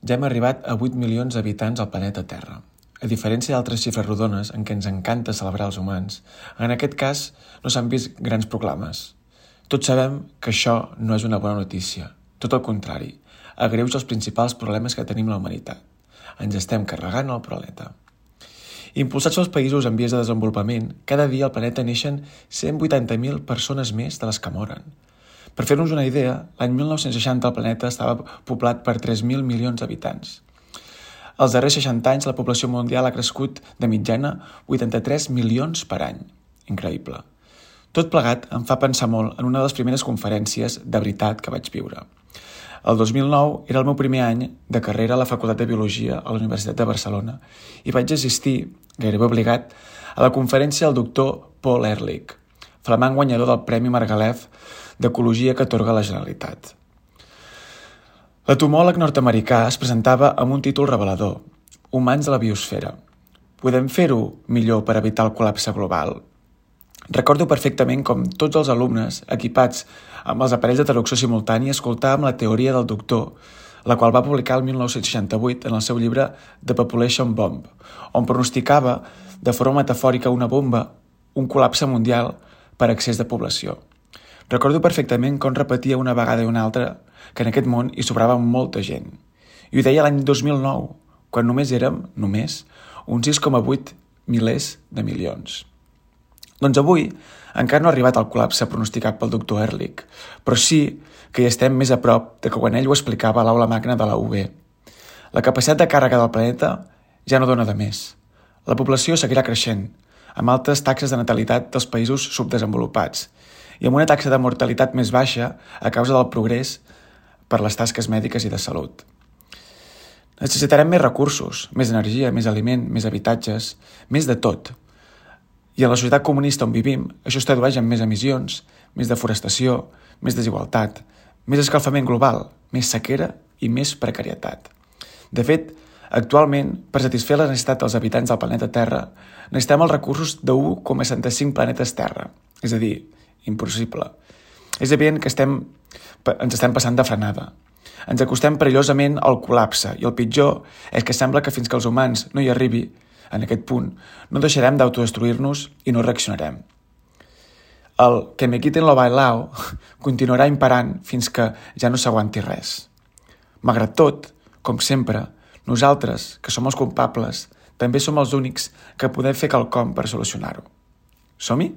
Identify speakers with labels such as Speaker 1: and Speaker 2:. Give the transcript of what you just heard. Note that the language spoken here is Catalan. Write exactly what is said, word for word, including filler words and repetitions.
Speaker 1: Ja hem arribat a vuit milions d'habitants al planeta Terra. A diferència d'altres xifres rodones en què ens encanta celebrar els humans, en aquest cas no s'han vist grans proclames. Tots sabem que això no és una bona notícia. Tot el contrari, agreuja els principals problemes que tenim la humanitat. Ens estem carregant el planeta. Impulsats pels països en vies de desenvolupament, cada dia al planeta neixen cent vuitanta mil persones més de les que moren. Per fer-nos una idea, l'any mil nou-cents seixanta el planeta estava poblat per tres mil milions d'habitants. Els darrers seixanta anys la població mundial ha crescut de mitjana vuitanta-tres milions per any. Increïble. Tot plegat em fa pensar molt en una de les primeres conferències de veritat que vaig viure. El dos mil nou era el meu primer any de carrera a la Facultat de Biologia a la Universitat de Barcelona i vaig assistir, gairebé obligat, a la conferència del doctor Paul Ehrlich, flamant guanyador del Premi Margalef d'Ecologia que atorga la Generalitat. L'entomòleg nord-americà es presentava amb un títol revelador: Humans de la biosfera. Podem fer-ho millor per evitar el col·lapse global? Recordo perfectament com tots els alumnes, equipats amb els aparells de traducció simultània, escoltàvem la teoria del doctor, la qual va publicar el mil nou-cents seixanta-vuit en el seu llibre The Population Bomb, on pronosticava de forma metafòrica una bomba, un col·lapse mundial per excés de població. Recordo perfectament com repetia una vegada i una altra que en aquest món hi sobrava molta gent. I ho deia l'any dos mil nou, quan només érem, només, uns sis coma vuit milers de milions. Doncs avui encara no ha arribat el col·lapse pronosticat pel doctor Ehrlich, però sí que hi estem més a prop de que quan ell ho explicava a l'aula magna de la U B. La capacitat de càrrega del planeta ja no dona de més. La població seguirà creixent, amb altes taxes de natalitat dels països subdesenvolupats i amb una taxa de mortalitat més baixa a causa del progrés per les tasques mèdiques i de salut. Necessitarem més recursos, més energia, més aliment, més habitatges, més de tot. I en la societat comunista on vivim, això es tradueix en més emissions, més deforestació, més desigualtat, més escalfament global, més sequera i més precarietat. De fet, actualment, per satisfer les necessitats dels habitants del planeta Terra, necessitem els recursos de u coma setanta-cinc planetes Terra, és a dir, impossible. És evident que estem, ens estem passant de frenada. Ens acostem perillosament al col·lapse i el pitjor és que sembla que fins que els humans no hi arribi, en aquest punt, no deixarem d'autodestruir-nos i no reaccionarem. El que me quiten lo bailao continuarà imperant fins que ja no s'aguanti res. Malgrat tot, com sempre, nosaltres, que som els culpables, també som els únics que podem fer quelcom per solucionar-ho. Som-hi?